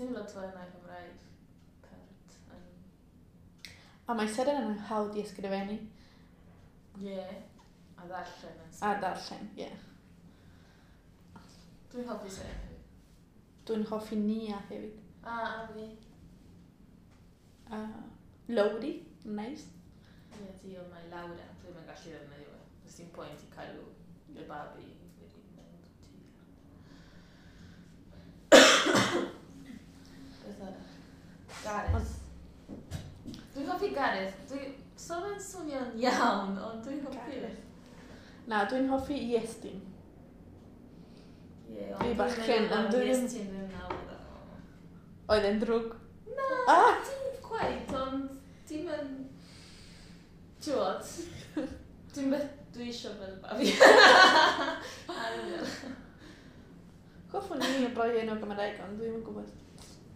Dim lot o enwau Cymraeg pert yn. A mae Seren yn hawdd i ysgrifennu. Ie. A ddarllen yn A darllen, ie. Yeah. Dwi'n hoffi Seren hefyd. Dwi'n hoffi Nia hefyd. A fi. A Lowry, nice. Ie, ti ond mae Laura. Dwi'n yn gallu ddefnyddio fe. Does dim pwynt i cael y babi wedi mynd ti. Beth arall? Gareth. Dwi'n hoffi Gareth. Dwi... So fe'n swnio'n iawn, ond dwi'n hoffi fe. Na, dwi'n hoffi Iestyn. Ie, Dwi bachgen, ond dwi ddim. Iestyn ddim nawr. Oedd e'n drwg. Na, Ah! dim quite, ond dim yn... Ti'n Dim beth dwi eisiau fel babi. I. Hoffwn i roi enw Gymraeg, ond dwi'n yn gwybod.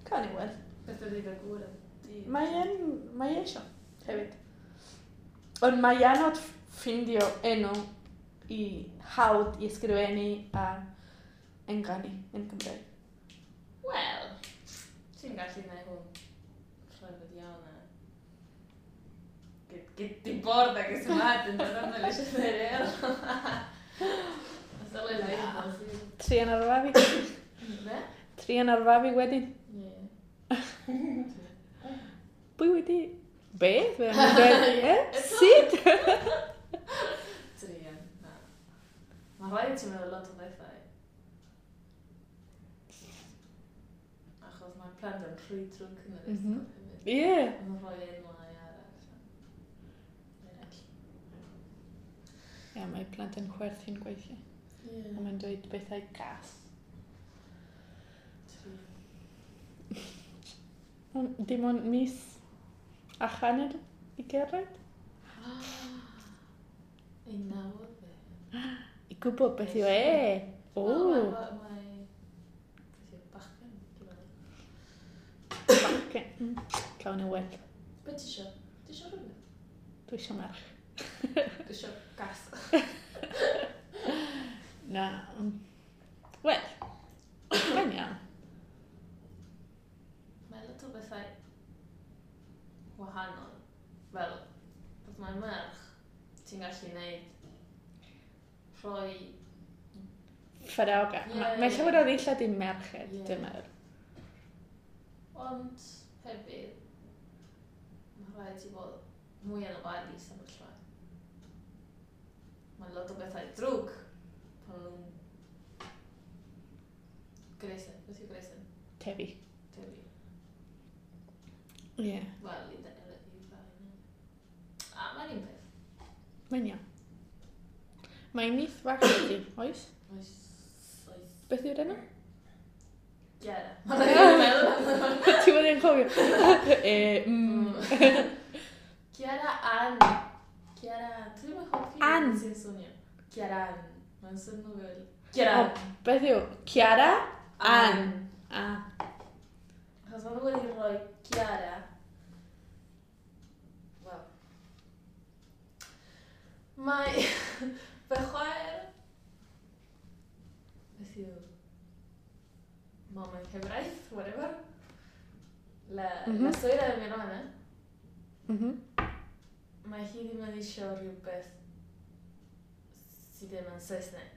Cawn ni weld. Beth ydy dy gŵr yn di? Mae e'n... Mae e eisiau hefyd. Ond mae anodd ffindio enw i hawdd i ysgrifennu a ynganu yn Cymraeg. Wel, ti'n gallu gwneud hwn rhyfedd iawn a... ¿Qué te importa que se maten tratando de leer? Hacerle la vida imposible. Trian ar y fabi. Be? Trian ar fabi wedyn. Ie. Pwy wedi... Beth? Fe o'n i'n dweud, e? Sut? Trian, na. Mae rhaid i ti meddwl lot o bethau. Achos mae plant yn rhy drwg yn yr ysgol hefyd. Ie. Mae'n rhoi enwau arall. Eraill. Ie, mae plant yn chwerthin gweithiau. Ie. A mae'n dweud bethau gas. Trian. Ond dim ond mis a hanner i gyrraedd. Ei nawr fe. I gwybod beth yw e. O, Mae... Beth yw bachgen? Dwi'n meddwl. bachgen. Cawn ni weld. Be ti isio? Ti isio rhywbeth? Dwi eisiau merch. Dwi isio gas. Na. Wel, mae'n iawn. Mae lot o bethau wahanol. Fel, bod mae'n merch, ti'n gallu neud rhoi. Ffraoga. Ie, Mae ie. llawer o ddillad i merched, dwi'n meddwl. Ond hefyd, mae rhaid ti bod mwy yn ofalus am y llai. Mae lot o bethau drwg pan nhw'n Gresen, beth yw Gresen? Tefi. Tefi. Ie. Wel, i ddau. A, mae'n un peth. Mae'n iawn. Mae nith fach ydi, oes? Oes, oes. Beth yw'r enw? Chiara. Mae'n rhaid i meddwl. Ti wedi yn cofio? E. Chiara Ann. Chiara, dwi ddim yn hoffi Ann. sy'n swnio. Chiara Ann. Mae'n swnio fel... Chiara O, beth yw? Chiara Ann. A. Achos maen nhw wedi rhoi Chiara. Wel. Mae fy chwaer... Beth yw... Mam yn cyfraith, whatever. La, la suegra de mi hermana. Mae hi ddim yn eisiau rhywbeth sydd ddim yn Saesneg.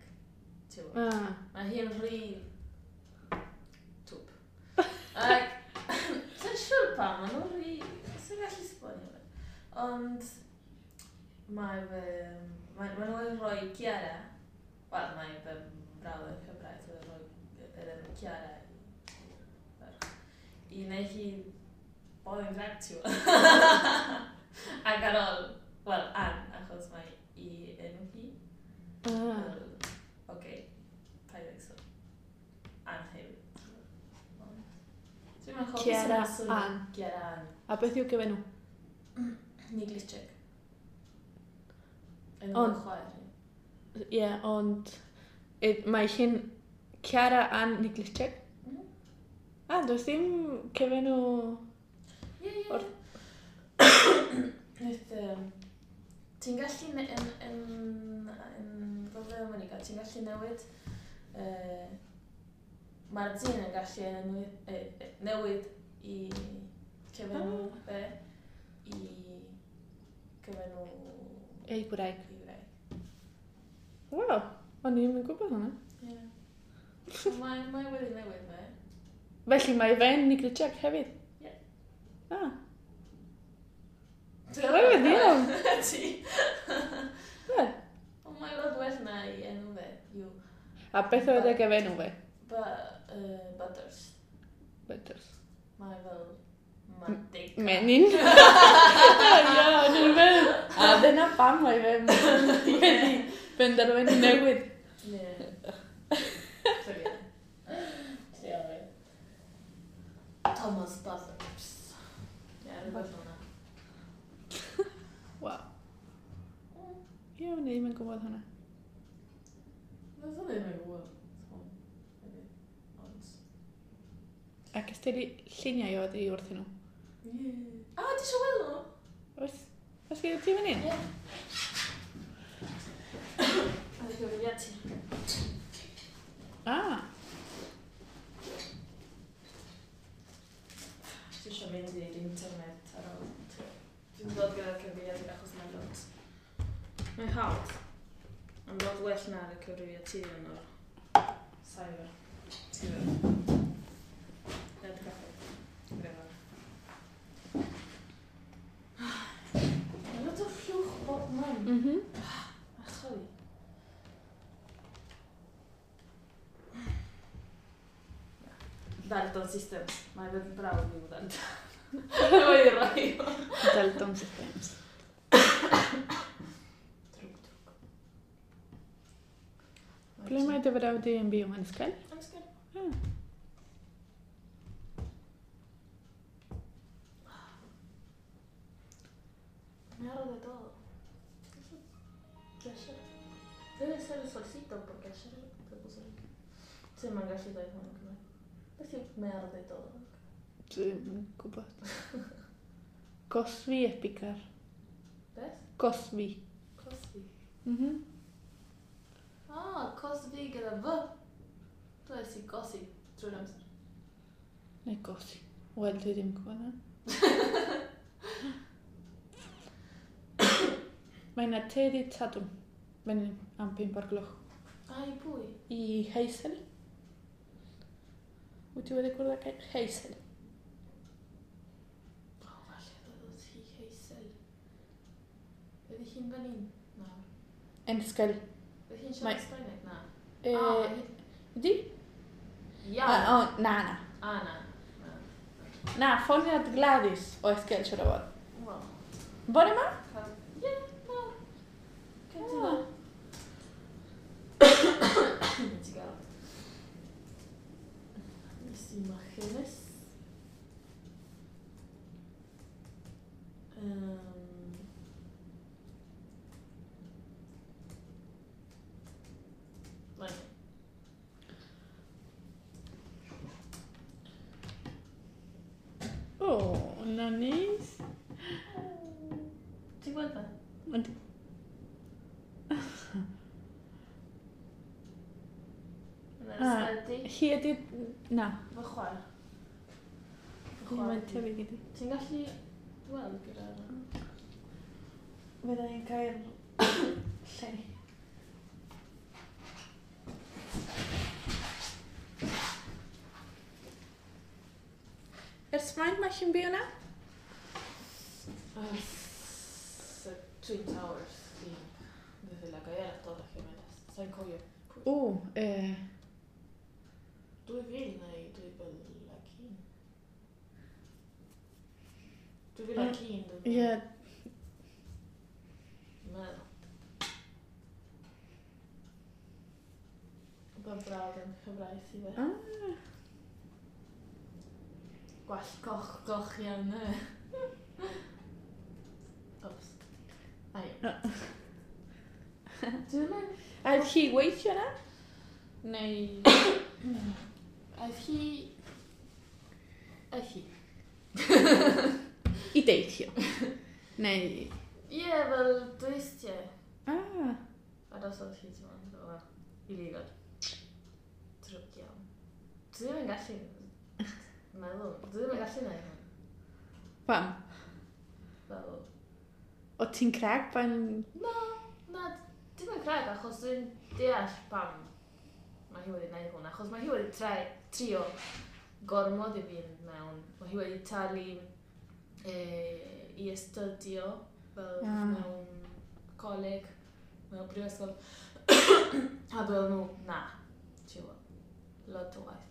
Ti'n gwbod? Ah. Mae hi'n rhy twp. Ac, dwi'n siŵr pam, maen nhw'n rhy... Sy'n gallu esbonio fe. Ond mae fy... Mae nhw wedi rhoi Ciara. Wel, mae fy mrawd yn Cymraeg wedi rhoi yr enw Ciara i ferch. I wneud hi bod yn drag ti'n gwbod. Ac ar ôl, wel, Ann, achos mae i enw hi. Ah. Fel, oce, paid ag sôn. Ann hefyd. Ond dwi'n meddwl hoffi Ciara swn i'n swnio. Ann. Ciara Ann. A beth yw gyfenw? Niglitschek. Enw Ond- chwaer hi. Ie, ond mae hi'n Chiara Ann Niglichek. A, does dim cyfenw. Ie, ie. Wnaeth, ti'n gallu, yn Gogledd America, ti'n gallu newid Mae'r dyn yn gallu newid i cyfenw fe i cyfenw ei gwraig. Ei gwraig. Waw, o'n i'm yn gwybod hwnna. Ie. Mae wedi newid fe. Felly mae fe'n Nigritiag hefyd? Ie. Ah. Rhyfedd iawn. Ti. Ie. Ond mae lot well na i enw fe. Yw. A beth oedd y gyfenw fe? Butters. Butters. Mae fel manteca. Menyn. Ie, o'n i'n meddwl. A dyna pam mae fe wedi penderfynu newid. Ie. So ie. Trio fi. Thomas Butters. Ie, rhywbeth fel 'na. Waw. Ie, o'n i ddim yn gwybod hwnna. Dwi'n ddim yn gwybod. Ond... Ac ys ti lluniau oedd i wrthyn nhw? Ie. A, ti eisiau weld nhw? Oes? Oes gyda ti fan hyn? Ie. A gyfrifiadur. Ah. Ti eisiau mynd i'r internet ar ôl. Dwi'n dod gyda'r cyfrifiadur achos mae'n lot. Mae'n hawdd. Mae'n lot well na'r cyfrifiadur yn o'r cyber. Cyber. Net cafe. Whatever. Mae lot o llwch bob man. Ach, sorry. Dalton Systems. Mae fy brawd yw Dalton. Wedi rhoi o. Dalton Systems. Drwg, drwg. Ble mae dy frawd di yn byw yn Ysgol? Yn Ysgol. Ah. Me arde todo. De ayer. Debe ser el solcito, porque ayer se puso rico. Sí, mae'n gallu dweud hwn yn Cymraeg. Beth yw me arde todo? Dwi'm yn gwybod. Cosfi epicar. Beth? Cosfi. Cosfi. Ah, cosfi gyda fy. Dweud i gosi drwy'r amser. Neu gosi. Wel, dwi ddim yn gwybod na. Mae yna te dydd Sadwrn. Mae'n am 5 o'r gloch. A, i pwy? I Hazel. Wyt ti wedi cwrdd â Hazel? O, falle ddod hi Hazel. Ydy hi'n fan hyn? Na. Yn Ysgol. Ydy hi'n siarad Sbaeneg? Na. Ydy? Ia. O, na, na. A, na. Na. Na, ffoniad Gladys o Ysgol siwr o fod. Wel. Bore ma? Ie, na. Cytuno. Ti gael. Mis imágenes. Bueno. O, na neis. Ti'n gweld fe? Yndi. Yna'r Ah. ysbyty. Hi ydi... Na. Fy chwaer. Fy chwaer Mae'n di. tebyg iddi. Ti'n gallu weld gyda'r... Fydda i'n cael lle. Ers faint mae hi'n byw yna? Ers y Twin Towers i desde la caída de las Torres Gemelas. Sa'n cofio. O, 2000 neu 2001. 2001, dwi'n Ie, meddwl. Fy brawd yn Cymraeg i fe. Ah. Gwall goch, goch iawn e. Ops. Ai. Dwi'n mynd... A oedd hi weithio yna? Neu... Aeth hi... Aeth hi. I deithio? Neu... Ie, fel dwristiau. Ah. A dos oedd hi, ti'n meddwl, fel illegal. Drwg iawn. Dwi ddim yn gallu meddwl. Dwi ddim yn gallu neud hwn. Pam? Fel... O ti'n crag pan... Na, na, dim yn crag, achos dwi'n deall pam mae hi wedi gwneud hwn. Achos mae hi wedi trio gormod i fynd mewn. Mae hi wedi talu i astudio fel mewn coleg, mewn brifysgol. A dweud nhw, na, ti'n gwybod, lot o waith.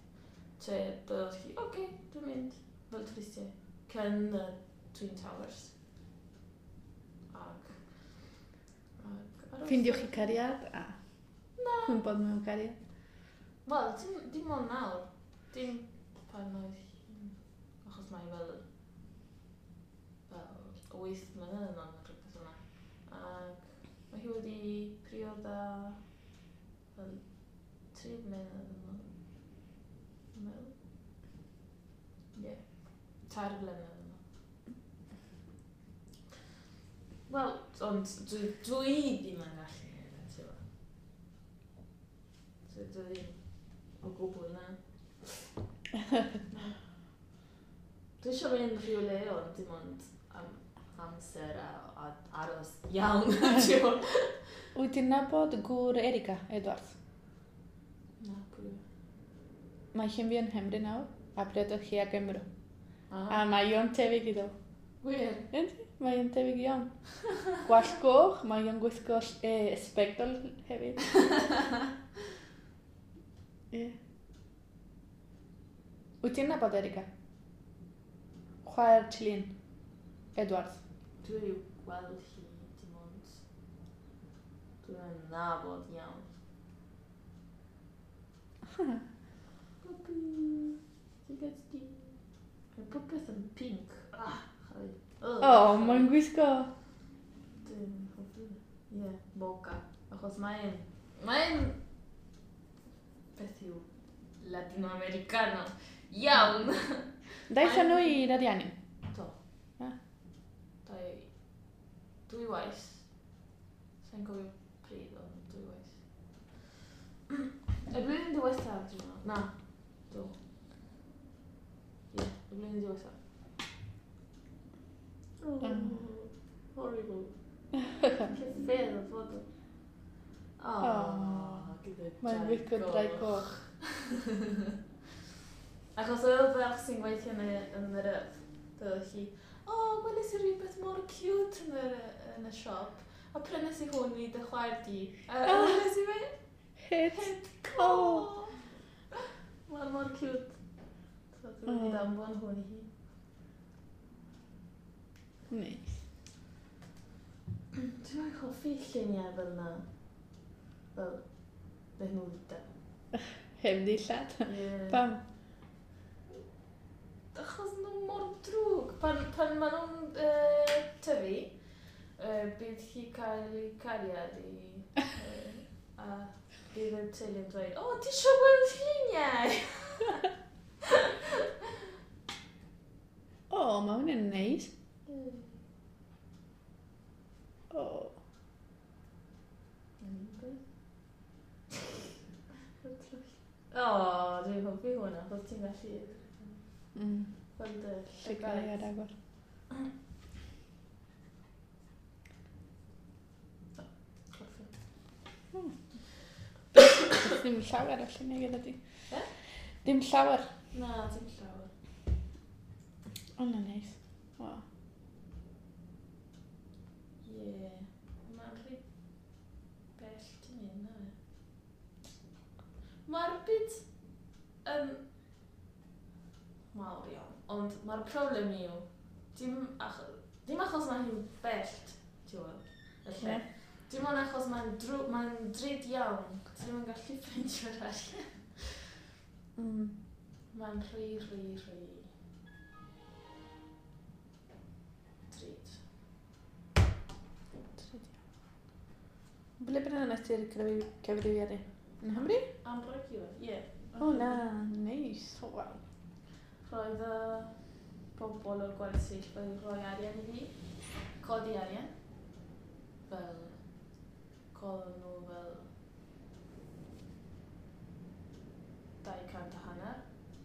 Te dweud hi, oce, okay, dwi'n mynd fel twristiau. Cyn y Twin Towers. Ac aros. Ffindiwch chi cariad a Na. cwympodd mewn cariad. Wel, dim ond nawr. Dim pan oedd hi... Achos mae fel 8 mlynedd yn ôl neu rhywbeth yna. Ac mae hi wedi prioda fel 3 mlynedd yn ôl. Dwi'n meddwl. Ie. 3 mlynedd yn ôl. Wel, ond dwi ddim yn gallu neud e, ti'n gwbod. Dwi ddim o gwbl na. Na. Dwi eisiau mynd rhywle ond dim ond am amser a aros iawn, ti'n gwbod. Wyt ti'n nabod gŵr Erika Edwards? Na, pwy yw e? Mae hi'n byw yn Nghymru nawr, a priododd hi ag Gymro. Ah. A mae o'n tebyg iddo. Wir? Yndi, mae o'n tebyg iawn. Gwallt goch, mae o'n gwisgo sbectol hefyd. Ie. Wyt ti'n nabod Erika? Chwaer Chilin Edwards. Dwi wedi gweld hi dim ond... Dwi'n nabod iawn. Puppy. Ti'n gysgu? Mae popeth yn pink. Ah, chai. O, mae'n gwisgo. Dwi'n hoffi. Ie, mocha. Achos mae'n... Mae'n... Beth yw Latinoamericano. Iawn! Daethon nhw i'r Ariannin? Do. Ah. Dwy waith. Sa'n cofio pryd, ond dwy waith. Y blwyddyn diwethaf, dwi'n meddwl. Na, do. Ie, y blwyddyn diwethaf. Oh, horrible. Che ffedd o foto. Oh, gyda Mae'n draig gwisgo draig goch. goch. Achos oedd y ferch sy'n gweithio yn yr yrdd, dweud hi, o, oh, gweles i rhywbeth mor cute yn y siop, a prynes i hwn i dy chwaer di. A weles i fe, Het. het, O. o! Mae'n mor cute. So dwi'n mynd i Oh. danfon hwn i hi. Neis. Dwi'n hoffi lluniau fel na. Fel, beth nhw da. Heb ddillad. Ie. Pam? Achos nhw mor drwg. Pan maen nhw'n tyfu, bydd hi cael ei cariad i... A bydd y teulu yn dweud, o, ti eisiau gweld lluniau? O, mae hwnna'n neis. O. O, dwi'n hoffi hwnna, achos ti'n gallu gweld y Llygau llygaid. ar agor. Hoffi. Ddim llawer o lluniau gyda ti. Be? Dim llawer. Na, dim llawer. Hwnna'n neis. O. Ie. Mae'n rhy bell ti'n mynd, na fe. Mae'r byd yn mawr iawn, ond mae'r problem yw, dim achos mae hi'n bell, ti'n gwybod, y lle. Ie. Dim ond achos mae'n mae'n drud iawn, ti ddim yn gallu ffeindio'r arian. Mae'n rhy, rhy, rhy drud. Drud iawn. Ble bynnag nes ti'r cyfrifiadur? Yn Nghymru? Anrheg ie. O na, neis. O, waw. Roedd y bobl o'r gwersyll wedi rhoi arian i fi, codi arian, fel, codon nhw fel 250,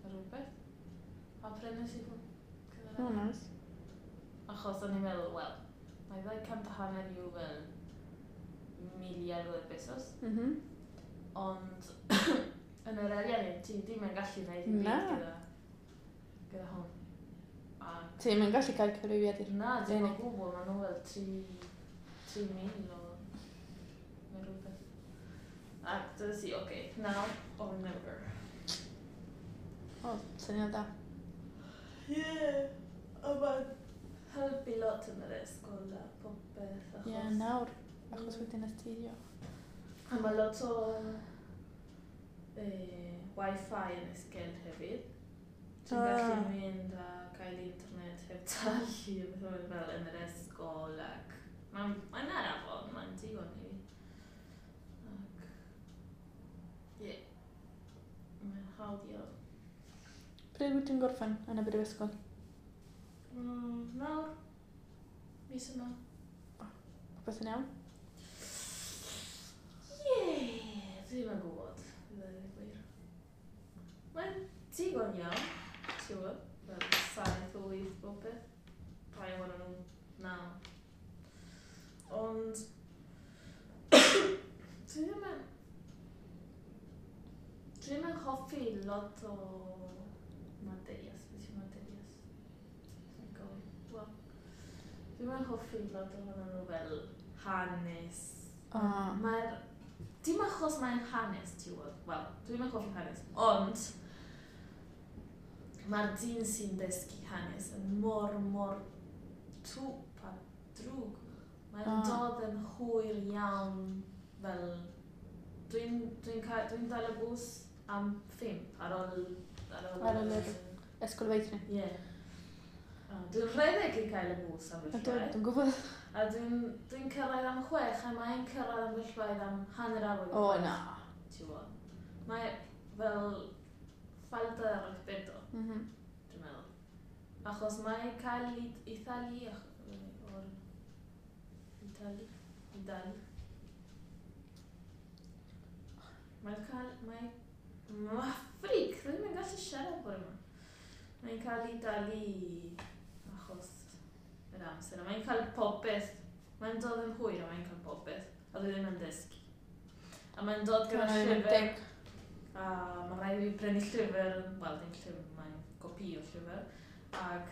a rhywbeth. A prynu i hwn. Oh, nice. Achos o'n i'n meddwl, wel, mae 250 yw fel mil i algo de pesos. Ond yn yr ariannu, ti ddim yn gallu gwneud dim byd gyda hwn. A Ti'n mynd gallu cael cyfrifiadur. Na, dim o Unig. gwbl, maen nhw fel 3,000 o neu rhywbeth. A dywedais i, oce, now or never. O, syniad da. Ie, yeah, a mae'n helpu lot yn yr ysgol a popeth, achos. Ie, yeah, nawr, achos wedyn astudio. A mae lot o Wi-Fi yn Esquel hefyd. Ti'n gallu mynd a cael internet heb talu a beth fel yn yr ysgol ac mae'n araf ond mae'n digon i fi. Ac ie, yeah, mae'n hawdd iawn. Pryd wyt ti'n gorffen yn y brifysgol? Nawr, mis yma. Popeth yn iawn? Ie, dwi ddim yn gwybod, i ddweud y gwir. Mae'n digon iawn, ti'n gwybod, fel 7, 8, popeth. Rhai ohonyn nhw 9. Ond, dwi ddim yn hoffi lot o materias, beth yw materias? Dwi'n gofyn. Wel, dwi ddim yn hoffi lot ohonyn nhw fel hanes. Mae'r... Dim achos mae'n hanes, ti'n gwybod. Wel, dwi ddim yn hoffi hanes, ond mae'r dyn sy'n dysgu hanes yn mor, mor twp a drwg. Mae'n dod yn hwyr iawn fel... Dwi'n dal y bws am 5 ar ôl... Ar ôl yr ysgol feithrin. Ie. Dwi'n rhedeg i cael y bws am Ydw, bellwaith. dwi'n gwybod. A dwi'n cyrraedd am 6 a mae'n cyrraedd am bellwaith am 6:30. O, na. Ti'n gwybod? Mae fel falta de respeto, dwi'n meddwl. Achos mae cael Itali... o'r Itali? Itali. Mae'n cael... Mae... Mae ffric! Dwi'n yn gallu siarad bore yma. Mae'n cael ei dalu achos yr amser. A mae'n cael popeth. Mae'n dod yn hwyr a mae'n cael popeth. A dwi ddim yn dysgu. A mae'n dod gyda Mae'n llyfr. deg. A mae rhaid i fi prynu llyfr. Wel, dim llyfr, mae'n gopi o llyfr. Ac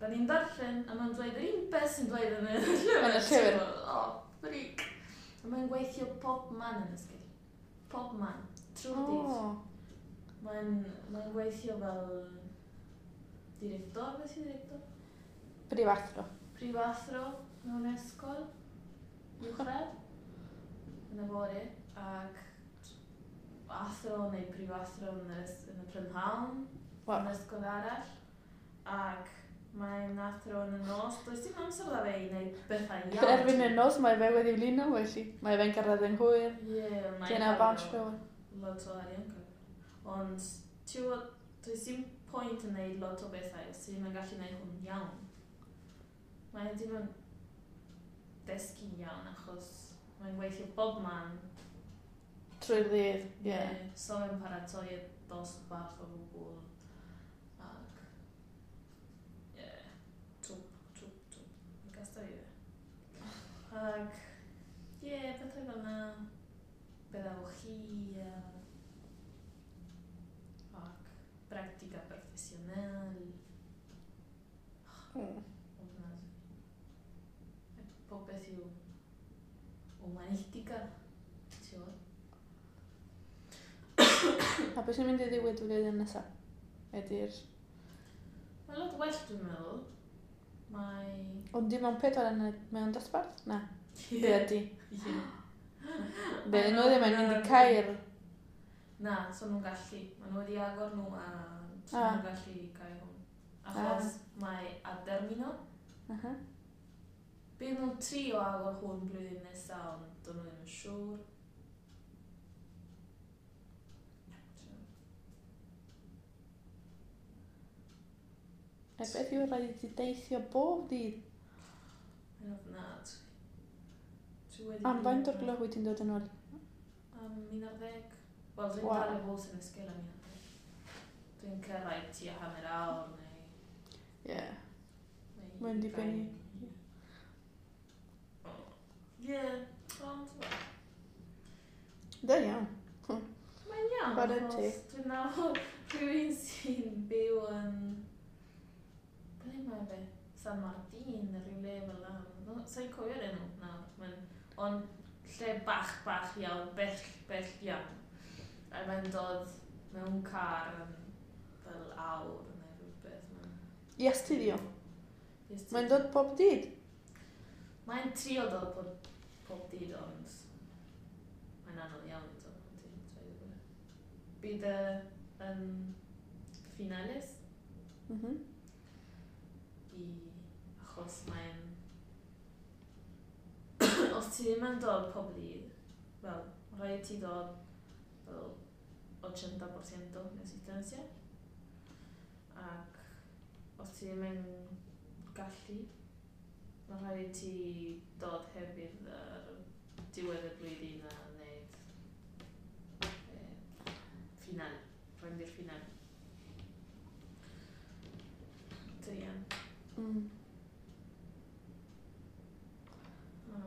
da ni'n darllen a mae'n dweud yr un beth sy'n dweud yn y llyfr. Yn y llyfr. O, ffric. A mae'n gweithio pob man yn ysgol. Pob man. Trwy'r dydd. Mae'n gweithio fel director, beth yw director? Prifathro. Prifathro mewn ysgol uwchradd yn y bore ac athro neu prifathro yn y prynhawn yn ysgol arall ac mae'n athro yn y nos. Does dim amser da fe i wneud bethau iawn. Erbyn y nos mae fe wedi blino, felly mae fe'n cyrraedd yn hwyr. Ie, mae'n Dyna cael bounce rhywun. lot o arian cael. Ond, ti'n gwybod, does dim pwynt yn neud lot o bethau os ti ddim yn gallu neud hwn iawn. Mae ddim yn dysgu'n iawn achos mae'n gweithio bob man. Trwy'r ddydd, ie. So mae'n paratoi y dosbarth o gwbl. Ac, ie, twp, twp, twp. Mae'n gasta i fe. Ac, ie, pethau fel na. Pedagogía. Ac práctica profesional. Ofnadwy. Popeth yw humanística. Ti'n gwybod? A beth sy'n mynd i ddigwydd flwyddyn nesaf? Ydy'r... Mae'n lot well dwi'n meddwl. Mae... Ond dim ond 4 yn mewn dosbarth? Na. Be ydy? Ie. Be nhw ddim yn mynd i cael... Na, so nhw'n gallu. Maen nhw wedi agor nhw a so nhw'n gallu cael hwn. Achos mae adermino. Bydd nhw'n trio agor hwn blwyddyn nesaf, ond dyn nhw ddim yn siŵr. A beth yw rhaid i ti deithio bob dydd? Mae'n ofnadwy. Dwi wedi Am faint o'r gloch wyt ti'n dod yn ôl? Am 11. Wel, dwi'n dal y bws yn ysgol am 11. Dwi'n cyrraedd tua hanner awr neu... Ie. Mae'n dibynnu. Ie, ond... Da iawn. Mae'n iawn, Chwarae achos teg. dwi'n nabod rhywun sy'n byw yn... Ble mae fe? San Martin, neu rhyw le fel 'na. No, sa i'n cofio'r enw nawr. Mae'n... Ond lle bach, bach iawn, bell, bell iawn. A mae'n dod mewn car yn fel awr neu rhywbeth. Mae'n... I astudio. Yes, Mae'n dod pob dydd. Mae'n trio dod pob dydd, ond mae'n anodd iawn i dod pob dydd, dweud y gwir. Bydd y yn finales i achos mae'n os ti ddim yn dod pob dydd, wel, rhaid ti dod fel 80% de asistencia. Ac os ti ddim yn gallu, mae rhaid i ti dod hefyd ar diwedd y blwyddyn a wneud final, rhaid i'r final. Druan. O, na,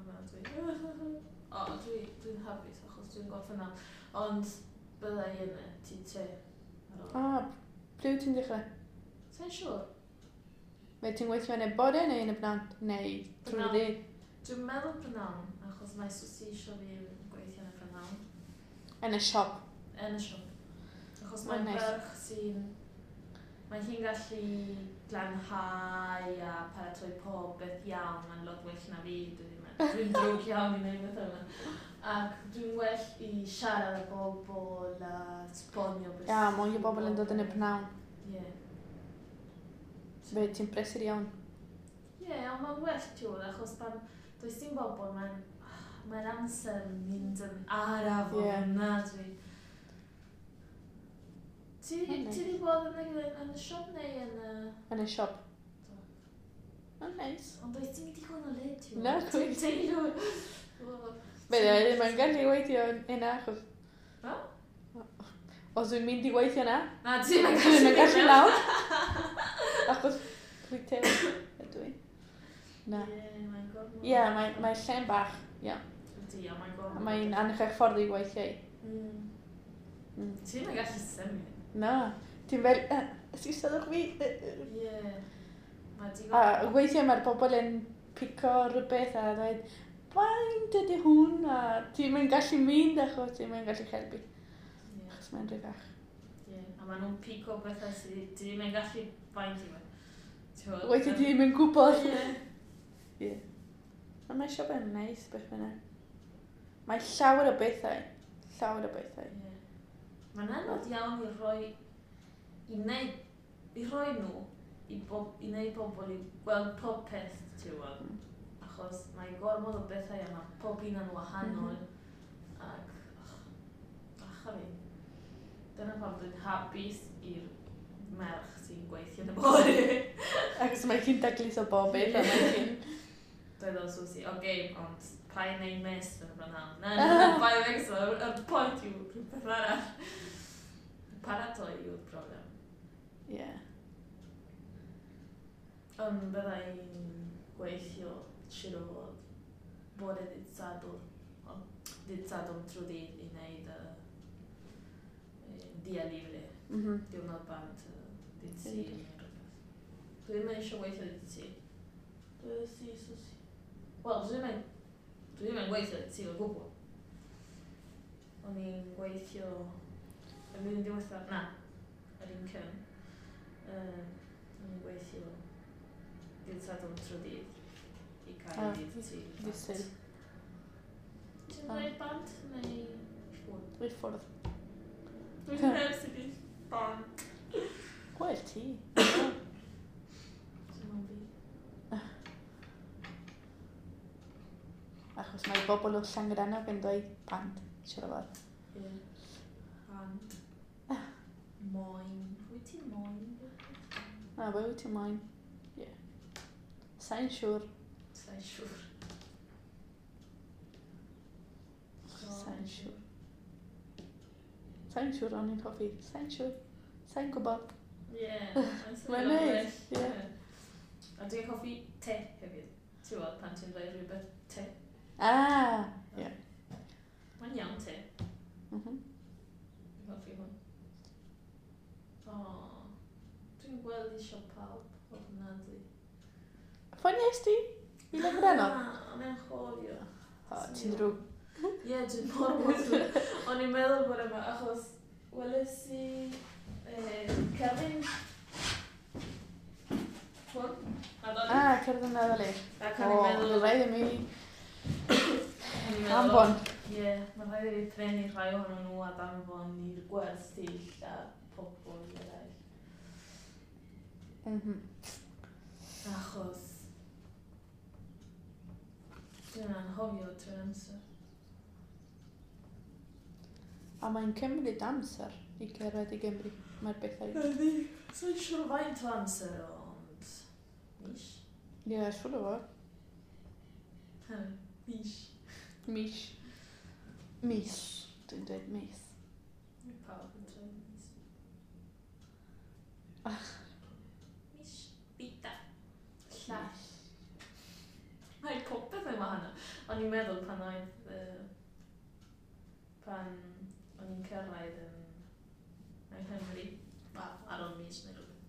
dwi... O, dwi'n hapus achos dwi'n gorffen nawr. Ond bydda i yn y T3 ar ôl. Ah, ble wyt ti'n dechrau? Sa'n siŵr. Mae ti'n gweithio yn y bore neu yn y pnawn? Neu trwy'r Pnawn. dydd? Dwi'n meddwl prynawn, achos mae Susi eisiau fi gweithio yn y prynawn. Yn y siop. Yn y siop. Achos Mae'n mae'n neis. ferch sy'n... Mae hi'n gallu glanhau a paratoi pob beth iawn. Mae'n lot well na fi. Dwi'n drwg iawn i wneud beth yna. Ac dwi'n well i siarad â bobl a esbonio beth. Ia, mwy o bobl yn dod yn y pnawn. Ie. Fe ti'n brysur iawn. Ie, ond mae'n well ti'n achos pan does dim bobl, mae'n amser yn mynd yn araf Ie. ofnadwy. Ti Mae'n ti neis. 'di bod yn y siop neu yn y... Yn y siop. Do. Mae'n neis. Ond does dim digon o le ti'n Na, Ti'n chwaith. teimlo... Fe ddim yn gallu weithio yna achos... Ha? Os dwi'n mynd i weithio yna, Na, ti'n dwi ddim yn gallu lawr. Achos retail ydw i. Na. Ie, mae'n gormod. Ie, mae lle'n bach. Ie. Ydy, a mae'n gormod. A mae'n anrheg ffordd i weithio i. Ti ddim yn gallu symud. Na. Ti'n fel, esgusodwch fi. Ie. Mae digon... A weithiau mae'r bobl yn pico rhywbeth a dweud, faint ydy hwn? A ti'n mynd gallu mynd achos ti'n mynd gallu helpu. Ie. Achos mae'n rhy fach. Ie, a maen nhw'n pico bethau sydd ti ddim yn gallu faint i fe. Ti'n gwbod? Weithiau ti ddim yn gwybod. Ie. Ie. Ond mae siop yn neis beth bynnag. Mae llawer o bethau. Llawer o bethau. Ie. Mae'n anodd iawn i roi, i wneud, i rhoi nhw, i wneud pobl i gweld pob peth, ti'n gwybod. Achos mae gormod o bethau a mae pob un yn wahanol. Ac, ach, a fi. Dyna pam dwi'n hapus i'r merch sy'n gweithio yn y bore. Achos mae hi'n daclus o bob beth a mae hi'n... Dwedodd Susie, oce, okay, ond pa i wneud mess yn y brynhawn? Na, na, na, pa i becso, y pwynt yw rhywbeth arall. Paratoi yw'r broblem. Ie. Ond bydda i'n gweithio siŵr o fod bore dydd Sadwrn, ond dydd Sadwrn trwy dydd i wneud y dia libre, diwrnod bant, dydd Sul neu rhywbeth. Dwi ddim yn eisiau gweithio dydd Sul. Dwi si, Susie. Wel, dwi ddim yn gweithio dydd Sul o gwbl. O'n i'n gweithio y flwyddyn diwethaf, na, yr un cyn. O'n i'n gweithio dydd Sadwrn trwy dydd i cael Ah, dydd Sul. Dydd Sul. Ti'n Ah. dweud bant neu ffwrdd? I'r ffwrdd. Dwi'n heb sydd i bant. Gwell ti. Dim ond fi. Achos mae bobl o Llangrannog yn dweud pant, siŵr o fod. Ie. Bant. Moyn. Wyt ti'n moyn? Na, be wyt ti'n moyn? Ie. Sa'n siŵr. Sa'n siŵr. Sa'n siŵr. Sa'n siŵr o'n i'n hoffi. Sa'n siŵr. Sa'n gwybod. Ie, mae'n Mae'n neis, ie. A dwi'n hoffi te hefyd. Ti'n gwybod pan ti'n dweud rhywbeth te. Ah, ie. Mae'n iawn te. Dwi'n hoffi hwn. O, dwi'n gweld eisiau pawb ofnadwy. Ffoniais ti? I Llangranog? Na, o'n i'n chofio. O, ti'n drwg. Ie, dwi'n mor mor drwg. O'n i'n meddwl bod yma, achos weles i cerdyn hwn, Nadolig. Ah, cerdyn Nadolig. Ac O, o'n i'n meddwl... bydd rhaid i mi o'n i'n meddwl, anfon. Ie, mae'n rhaid i fi prynu rhai ohonyn nhw a danfon i'r gwersyll a pobl eraill. Achos dwi'n anghofio trwy'r amser. A mae'n cymryd amser i cyrraedd i Gymru. Mae'r bethau. Ydy. Sa'n siŵr faint o amser, ond... Mis? Ie, siŵr o fod. Ha, mis. Mis. Mis. Dwi'n dweud mis. Mae pawb yn dweud mis. Mis. Bita. Llall. Mae popeth yn wahanol. O'n i'n meddwl pan oedd... pan o'n i'n cyrraedd yn Nghymru, wel, ar ôl mis neu rhywbeth.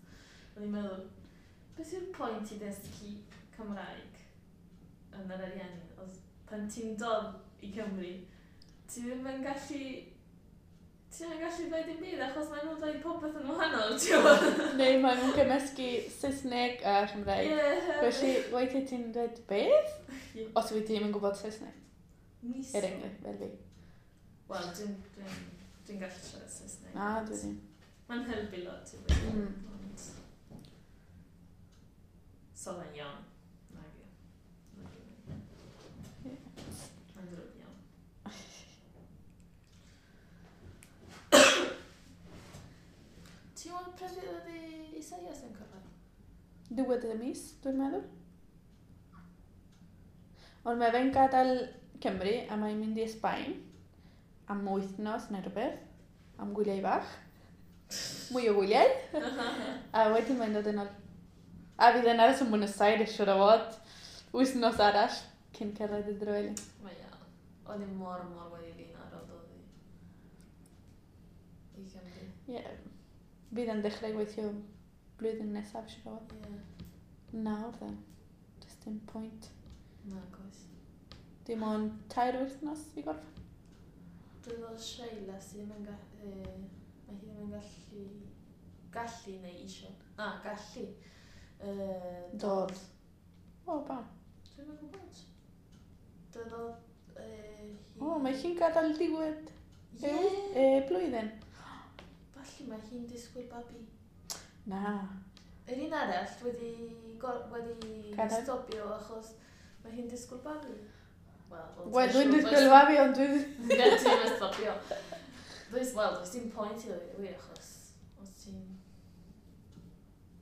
O'n i'n meddwl, beth yw'r pwynt i ddysgu Cymraeg yn yr Ariannin? Os pan ti'n dod i Cymru, ti ddim yn gallu... Ti ddim yn gallu dweud dim byd achos maen nhw'n dweud popeth yn wahanol, ti'n gwybod? Neu maen nhw'n cymysgu Saesneg a Chymraeg. Ie. Felly, weithiau ti'n dweud beth? Ie. Os wyt ti ddim yn gwybod Saesneg. Mis. Er enghraifft, fel fi. Wel, dwi'n gallu siarad Saesneg. Na, dwi ddim. Mae'n helpu lot, ti'n gwybod. Ond... So fe'n iawn. Nag yw. Nag yw. Ie. Mae'n ddrwg iawn. Ti'n gwybod pryd ydy Isaias yn cyrraedd? Diwedd y mis, dwi'n meddwl. Ond mae fe'n gadael Cymru a mae'n mynd i Sbaen am wythnos neu rhywbeth, am gwyliau bach. Mwy o gwyliau. A wedyn mae'n dod yn ôl. A fydd yn aros yn Buenos Aires, siŵr o fod, wythnos arall cyn cyrraedd y Drewelyn. Mae iawn. Oedd hi mor, mor wedi flin ar ôl dod i Gymru. Ie. Yeah. Fydd yn dechrau gweithio blwyddyn nesaf, siŵr o fod. Ie. Nawr, then. Does dim pwynt. Na, goes. Dim ond 3 wythnos i gorffen. Dwi'n meddwl Sheila sydd ddim yn mae hi ddim yn gallu neu isio. Na, gallu. Dod. O, pam? Dwi'm yn gwybod. Dod hi... O, mae hi'n gadael diwedd Ie. blwyddyn. Falle mae hi'n disgwyl babi. Na. Yr un arall wedi Gadael. stopio achos mae hi'n disgwyl babi. Wel, dwi'n disgwyl babi, ond dwi'n... Ie, ti'n mynd stopio. Wel, does dim pwynt i ddweud y gwir achos os ti'n...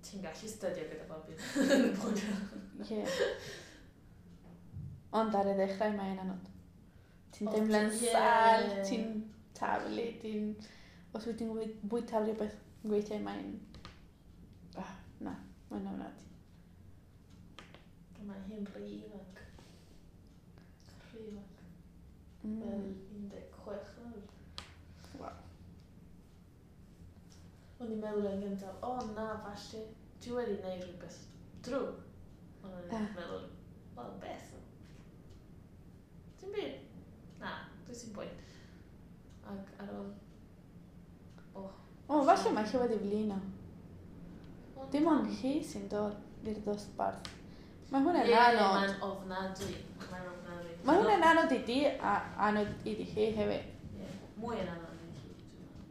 Ti'n gallu stydio gyda babi. Yn y pwynt. Ie. Ond ar y ddechrau mae'n anodd. Ti'n teimlo'n sâl, ti'n taflu, ti'n... Os wyt ti'n bwyta rhywbeth gweithiau mae'n... Ah, na, mae'n ofnadwy. Mae hi'n rhy ifanc. Rhy ifanc. Fel 16 nawr. Waw. O'n i'n meddwl yn gyntaf, o na, falle, dwi wedi gwneud rhywbeth drwg. Ond o'n i'n meddwl, wel, beth? Dim byd. Na, dwi ti'n bwyn. Ac ar ôl... Oh. O, falle mae hi wedi flino. Dim ond hi sy'n dod i'r dosbarth. Mae hwnna'n anodd. Ie, mae'n ofnadwy. Mae'n ofnadwy. Mae hwnna'n anodd i di a anodd iddi hi hefyd. Ie, mwy yn anodd i hi, dwi'n meddwl.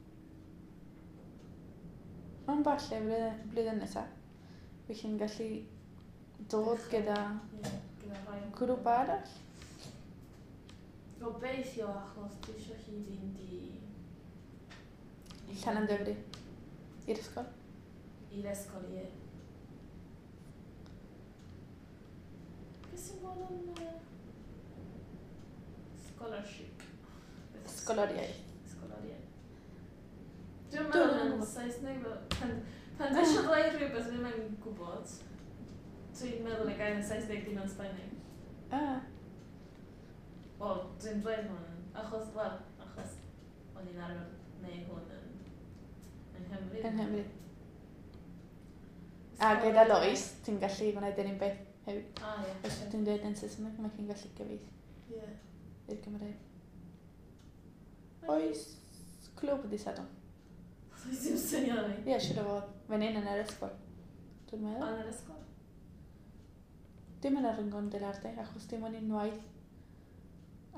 Ond falle blwyddyn nesaf, wy chi'n gallu dod gyda Ie, gyda rhai o grŵp arall. Gobeithio achos dwi eisiau hi fynd i... Llanymddyfri. I'r ysgol. I'r ysgol, ie. Beth sy'n bod yn... Scholarship? Ysgoloriaeth. Ysgoloriaeth. Dwi'n meddwl yn gwybod. Saesneg, fel... Pan dwi eisiau dweud rhywbeth ddim yn gwybod, dwi'n meddwl y gair yn Saesneg dim yn Sbaeneg. Ah. Wel, dwi'n dweud hwn, achos, wel, achos o'n i'n arfer gwneud hwn yn Nghymru. Yn Nghymru. A gyda Lois, ti'n gallu gwneud yr un beth hefyd. Ah, ie. Os ti'n dweud yn Saesneg, mae hi'n gallu gyfieithu i'r Gymraeg. Oes clwb dydd Sadwrn? Does dim syniad fi. Ie, siŵr o fod. Fan hyn yn yr ysgol. Dwi'n meddwl. Yn yr ysgol? Dim yn yr Rincón del Arte, achos dim ond unwaith.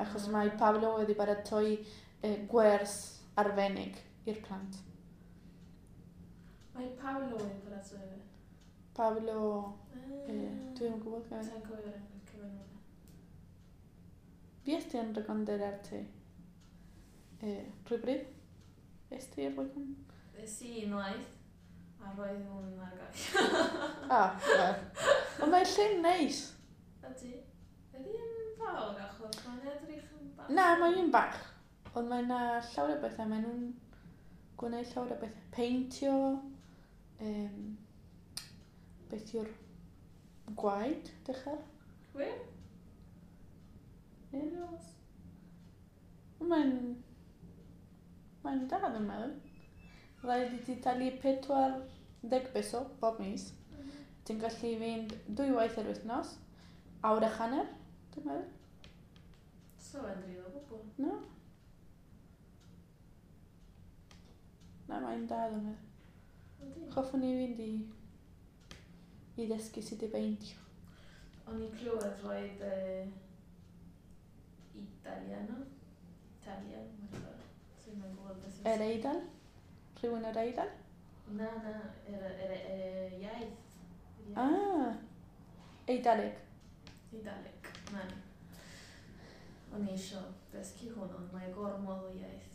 Achos mae Pablo wedi paratoi gwers arbennig i'r plant. Mae Pablo wedi paratoi fe? Pablo... Dwi'n gwybod gymaint. Sa'n cofio'r enw cyfenw fe. Fuest ti yn Rincón del Arte rhywbryd? Est ti i'r Rincón? Es i unwaith, a roedd hwn ar gau. Ah, wel. Ond mae'n lle neis. Ydy. Ydy yn fawr, achos mae'n edrych yn bach. Na, mae'n bach. Ond mae yna llawer o bethau. Maen nhw'n gwneud llawer o bethau. Peintio, beth yw'r gwaed, dechrau? Wir? Ie. Mae'n da, dwi'n meddwl. Rhaid i ti talu 40 peso bob mis. Ti'n gallu fynd 2 waith yr wythnos, awr a hanner, dwi'n meddwl. So yn drud o gwbl. No. Na, mae'n da, dwi'n meddwl. Hoffwn i fynd i ddysgu sut i beintio. O'n i'n clywed roedd Italiano. Italian, whatever. Dwi'n yn gwybod beth Yr Eidal? Rhywun o'r Eidal? Na, yr iaith. Ah, Eidaleg. Eidaleg, na ni. O'n i eisiau dysgu hwn, ond mae gormod o iaith.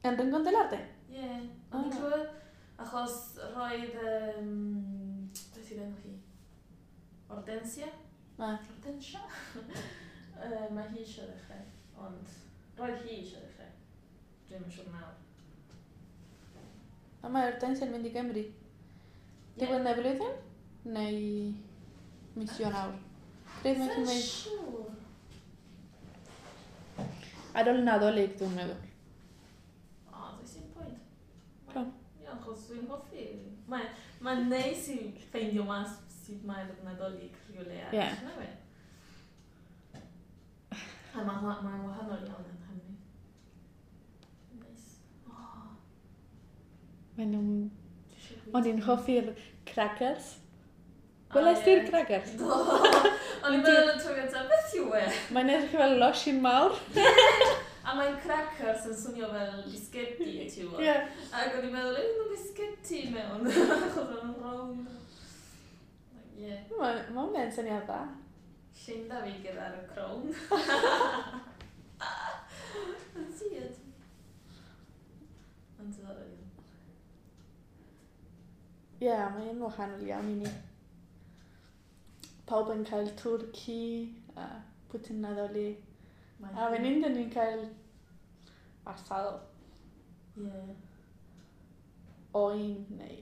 Yn Rincón del Arte? Ie, o'n i'n clywed, achos roedd, beth yw'r enw hi? Hortensia? Hortensia? Mae hi eisiau ddechrau, ond roedd hi eisiau ddechrau. Dwi'm yn siŵr nawr. A mae Hortensia yn mynd i Gymru. Diwedd y blwyddyn? Neu mis Ionawr? Pryd mae hi'n mynd? Siŵr. Ar ôl Nadolig, dwi'n meddwl. O, does dim pwynt. Pam? Ie, achos dwi'n hoffi. Mae'n neis i ffeindio mas sut mae'r Nadolig rhywle arall. Ie. Na fe? A mae'n wahanol iawn yn Nghymru. Neis. O, Maen nhw'n... dwi eisiau bwyta. O'n i'n hoffi'r crackers. Welais ti'r crackers? Do! O'n i'n meddwl yn tro gyntaf, beth yw e? Mae'n edrych fel losin mawr. A mae'n crackers yn swnio fel bisgedi, ti'n gwybod? Ie. Ac o'n i'n meddwl, ydyn nhw bisgedi mewn, achos o'n nhw'n rownd. Ie. Mae hwnna'n syniad dda. Llunda fi gyda'r crown. Yn siad. Yn diddorol iawn. Ie, mae'n wahanol iawn i ni. Pawb yn cael twrci a pwtyn Nadolig. A fan hyn, dyn ni'n cael asado. Ie. Oen neu...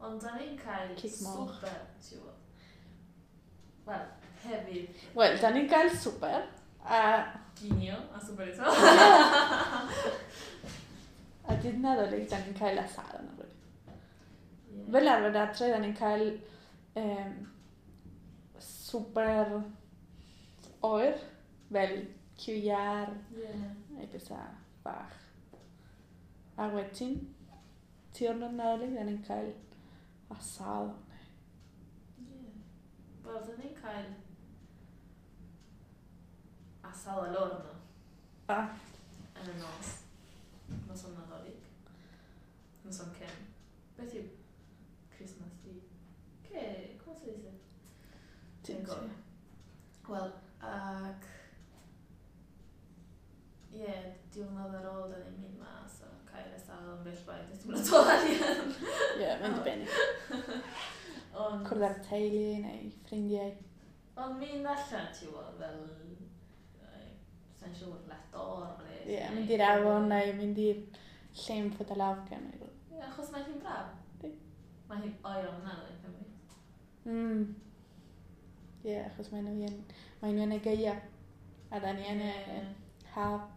Ond da ni'n cael Cig moch. swper, ti'n gwybod. Wel, hefyd Wel, da ni'n cael swper. A, ginio a swper eto. a dydd Nadolig, da ni'n cael asado neu rhywbeth. Ie. Fel arfer adre, da ni'n cael swper oer, fel cyw iâr, neu bethau bach. A wedyn, diwrnod Nadolig, da ni'n cael asado. Ie. Wel, da ni'n cael asado al horno. Ah. Yn y nos. Noson Nadolig. Noson cyn. Beth yw Christmas Eve? ¿Qué? ¿Cómo se dice? Dwi'n gwybod. Wel, ac... Ie, diwrnod ar ôl, da ni'n mynd mas a cael asado yn bell baid. Dwi'n mynd o arian. Ie, mae'n dibynnu. Ond... Cwrdd â'r teulu neu ffrindiau. Ond mynd allan, ti'n gwybod, fel... Sa'n siŵr, La Torre. Ie, mynd i'r afon neu mynd i'r llyn Fotalafca neu rhywbeth. Ie. Ie, achos mae hi'n braf. Yndi. Mae hi'n oer ofnadwy yn Cymru. Ie, yeah, achos mae nhw yn, mae nhw yn y gaea. A da ni yn y haf.